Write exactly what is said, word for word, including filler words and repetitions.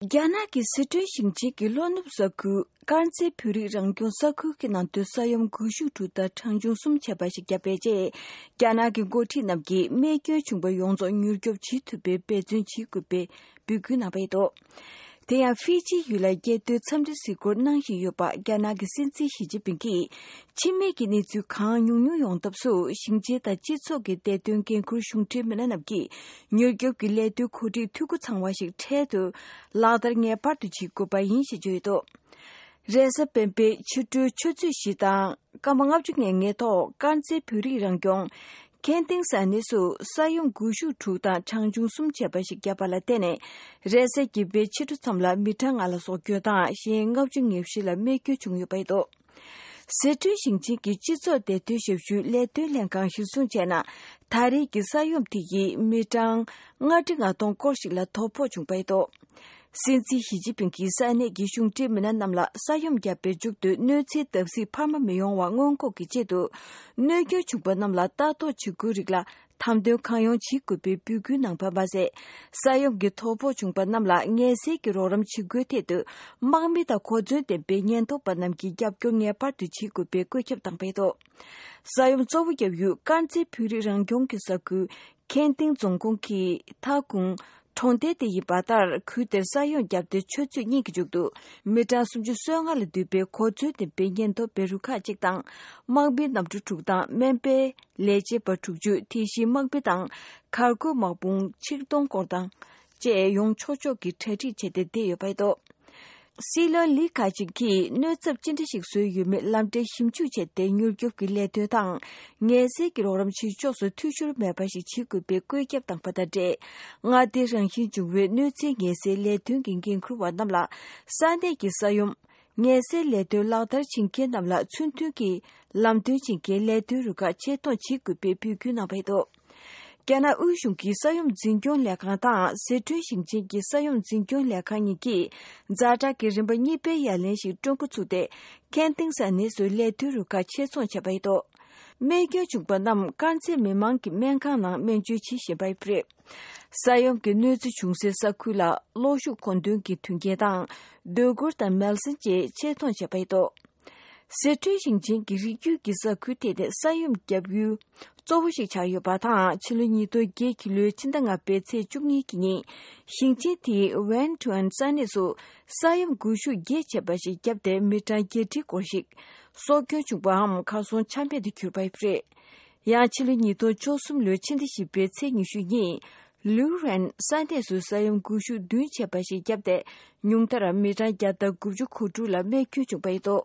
རྒྱ་ནག་གི་སི་ཁྲོན་ཞིང་ཆེན་གྱི་ལྷོ་ནུབ་ས་ཁུལ་དཀར་མཛེས་བོད་རིགས་རང་སྐྱོང་ས་ཁུལ་གྱི་ནང་དུ་ས་ཡོམ་འགུལ་ཤུགས་དྲུག་དང་གྲངས་ཆུང་གསུམ་བྱས་པ་ཞིག་བརྒྱབ་པའི་རྗེས། རྒྱ་ནག་གི་འགོ་ཁྲིད་རྣམས་ཀྱིས་རྨས་སྐྱོན་བྱུང་བ་ཡོངས་རྫོགས་མྱུར་སྐྱོབ་བྱེད་ཐུབ་པའི་འབད་བརྩོན་བྱེད་དགོས་པའི་འབོད་སྐུལ་གནང་བ་ཡིན་འདུག་དེ་ཡང་ཧྥི་ཇི་ཡུལ་ལ་རྒྱལ་དོན་འཚམས་འདྲི་གཟིགས་སྐོར་གནང་བཞིན་ཡོད་པ་རྒྱ་ནག་གི་སྲིད་འཛིན་ཞི་ཅིན་ཕིང་གིས། འཆི་རྨས་ཀྱི་གནས་ཚུལ་གང་ཉུང་ཉུང་ཡོང་ཐབས་སུ་ཞིང་ཆེན་དང་སྤྱི་ཚོགས་ཀྱི་བདེ་དོན་འགན་འཁུར་གཞུང་འབྲེལ་མི་སྣ་རྣམས་ཀྱིས་མྱུར་སྐྱོབ་ཀྱི་ལས་དོན་གོ་སྒྲིག་འཐུས་སྒོ་ཚང་བ་ཞིག་འཕྲལ་དུ་ལག་བསྟར་ངེས་པར་དུ་བྱེད་དགོས་པ་ཡིན་ཞེས་བརྗོད་ཡོད་འདུག་རེས་གཟའ་སྤེན་པའི་ཕྱི་དྲོའི་ཆུ་ཚོད་བཞི་དང་སྐར་མ་ལྔ་བཅུ་ང་ལྔའི་ཐོག་དཀར་མཛེས་བོད་རིགས་རང་སྐྱོང་ཁེན་ཏིང་ས་གནས་སུ་ས་ཡོམ་འགུལ་ཤུགས་དྲུག་དང་གྲངས་ཆུང་གསུམ་བྱས་པ་ཞིག་བརྒྱབ་པ་ལ་བརྟེན་ནས། རེས་གཟའ་བརྒྱད་པའི་ཕྱི་དྲོ་མཚམས་ལ་མི་གྲངས་ལྔ་ལ་སྲོག་སྐྱོན་དང་གཞན་ལྔ་བཅུ་ང་བཞི་ལ་རྨས་སྐྱོན་བྱུང་ཡོད་པ་རེད་འདུག་སི་ཁྲོན་ཞིང་ཆེན་གྱི་སྤྱི་ཚོགས་བདེ་དོན་ཞབས་ཞུའི་ལས་དོན་ལྷན་ཁང་གཞིར་བཟུང་བྱས་ན། ད་རེས་ཀྱི་ས་ཡོམ་དེ་ཡིས་མི་གྲངས་ལྔ་ཁྲི་ལྔ་སྟོང་སྐོར་ཞིག་ལ་དོ་ཕོག་བྱུང་བ་རེད་འདུག་སྲིད་འཛིན་ཞི་ཅིན་ཕིང་གིས་ས་གནས་ཀྱི་གཞུང་འབྲེལ་མི་སྣ་རྣམས་ལ་ས་ཡོམ་བརྒྱབ་པའི་མཇུག་ཏུ་གནོད་འཚེའི་བརྡབ་གསིག་འཕར་མ་མི་ཡོང་བ་སྔོན་འགོག་གི་ཆེད་དུ། གནོད་སྐྱོན་བྱུང་པ་རྣམས་ལ་ལྟ་རྟོག་བྱེད་དགོས་རིགས་ལ་དམ་དོན་གང་ཡོང་བྱེད་དགོས་པའི་འབོད་སྐུལ་གནང་བ་མ་ཟད། ས་ཡོམ་གྱི་དོ་ཕོག་བྱུང་པ་རྣམས་ལ་ངལ་སེལ་གྱི་རོགས་རམ་བྱེད་དགོས་ཐད་དུ། དམག་མི་དང་གོ་མཚོན་ལྡན་པའི་ཉེན་རྟོག་པ་རྣམས་ཀྱིས་རྒྱབ་སྐྱོར་ངེས་པར་དུ་བྱེད་དགོས་པའི་བཀོད་ཁྱབ་བཏང་བ་རེད་འདུག་ས་ཡོམ་གཙོ་བོ་བརྒྱབ་ཡུལ་དཀར་མཛེས་བོད་རིགས་རང་སྐྱོང་གི་ས་ཁུལ་ཁེན་ཏིང་རྫོང་ཁོངས་ཀྱི་ཐ་ཀུང་གྲོང་རྡལ་དེ་ཡིན་པ་ལྟར། ཁུལ་དེར་ས་ཡོམ་བརྒྱབ་སྟེ་ཆུ་ཚོད་གཉིས་ཀྱི་མཇུག་ཏུ་མི་གྲངས་སུམ་ཅུ་སོ་ལྔ་ལ་འདུས་པའི་གོ་མཚོན་ལྡན་པའི་ཉེན་རྟོག་པའི་རུ་ཁག་གཅིག་དང་། དམག་མི་གནམ་གྲུ་དྲུག་དང་སྨན་པའི་ལས་བྱེད་པ་དྲུག་ཅུ། དེ་བཞིན་དམག་མི་དང་གར་བསྐོར་དམག་དཔུང་ཆིག་སྟོང་སྐོར་དང་བཅས་ཡོང་ཆོག་ཆོག་གི་གྲ་སྒྲིག་བྱས་ཏེ་བསྡད་ཡོད་པ་རེད་འདུག་སྲིད་བློན་ལི་ཁ་ཆིང་གིས་གནོད་ཚབས་ཅི་འདྲ་ཞིག་བཟོས་ཡོད་མེད་ལམ་འབྲས་ཞིབ་འཇུག་བྱས་ཏེ། མྱུར་སྐྱོབ་ཀྱི་ལས་དོན་དང་ངལ་སེལ་གྱི་རོགས་རམ་བྱེད་ཕྱོགས་སུ་འཐུས་ཤོར་མེད་པ་ཞིག་བྱེད་དགོས་པའི་བཀོད་ཁྱབ་བཏང་བ་དང་འབྲེལ། མངའ་སྡེའི་རང་བཞིན་བྱུང་བའི་གནོད་འཚེའི་ངལ་སེལ་ལས་དོན་གྱི་འགན་འཁུར་བ་རྣམས་ལ། ས་གནས་ཀྱི་ས་ཡོམ་ངལ་སེལ་ལས་དོན་ལག་བསྟར་བྱེད་མཁན་རྣམས་ལ་ཚུལ་མཐུན་གྱིས་ལམ་སྟོན་བྱེད་མཁན་ལས་དོན་རུ་ཁག་ཆེད་གཏོང་བྱེད་དགོས་པའི་འབོད་སྐུལ་གནང་བ་རེད་འདུག་རྒྱ་ནག་དབུས་གཞུང་གི་ས་ཡོམ་འཛིན་སྐྱོང་ལས་ཁང་དང་སི་ཁྲོན་ཞིང་ཆེན་གྱི་ས་ཡོམ་འཛིན་སྐྱོང་ལས་ཁང་གཉིས་ཀྱིས་ཛ་དྲག་གི་རིམ་པ་གཉིས་པའི་ཡ་ལན་ཞིག་སྤྲོད་འགོ་ཚུགས་ཏེ། ཁེན་ཏིང་ས་གནས་སུ་ལས་དོན་རུ་ཁག་ཆེད་རྫོང་བྱས་པ་རེད་འདུག་རྨས་སྐྱོན་བྱུང་པ་རྣམས་དཀར་མཛེས་མི་མང་གི་སྨན་ཁང་ནང་སྨན་བཅོས་བྱེད་བཞིན་པ་རེད། ས་ཡོམ་གྱི་གནོད་འཚེ་བྱུང་སའི་ས་ཁུལ་ལ་གློག་ཤུགས་མཁོ་འདོན་གྱི་མཐུན་རྐྱེན་དང་། སྡོད་གུར་དང་མལ་སྲན་བཅས་ཆེད་གཏོང་བྱས་པ་རེད་འདུག་སི་ཁྲོན་ཞིང་ཆེན་གྱི་རི་རྒྱུད་ཀྱི་ས་ཁུལ་དེ་ནི་ས་ཡོམ་བརྒྱབ་ཡུལ་གཙོ་བོ་ཞིག་ཆགས་ཡོད་པ་དང་། ཕྱི་ལོ་ཉིས་སྟོང་བརྒྱད་ཀྱི་ལོའི་ཕྱི་ཟླ་ལྔ་པའི་ཚེས་བཅུ་གཉིས་ཀྱི་ཉིན། ཞིང་ཆེན་དེའི་ཝན་ཐུའན་ས་གནས་སུ་ས་ཡོམ་འགུལ་ཤུགས་བརྒྱད་བྱས་པ་ཞིག་བརྒྱབ་སྟེ། མི་གྲངས་བརྒྱད་ཁྲིའི་སྐོར་ཞིག་སྲོག་སྐྱོན་བྱུང་པའམ་གར་སོང་ཆ་མེད་དུ་གྱུར་པ་རེད། ཡང་ཕྱི་ལོ་ཉིས་སྟོང་བཅུ་གསུམ་ལོའི་ཕྱི་ཟླ་བཞི་པའི་ཚེས་ཉི་ཤུ་ཉིན། ལུའུ་རན་ས་གནས་སུ་ས་ཡོམ་འགུལ་ཤུགས་བདུན་བྱས་པ་ཞིག་བརྒྱབ་སྟེ། ཉུང་མཐར་མི་གྲངས་བརྒྱ་དང་དགུ་བཅུ་གོ་དྲུག་ལ་རྨས་སྐྱོན་བྱུང་བ་རེད་འདུག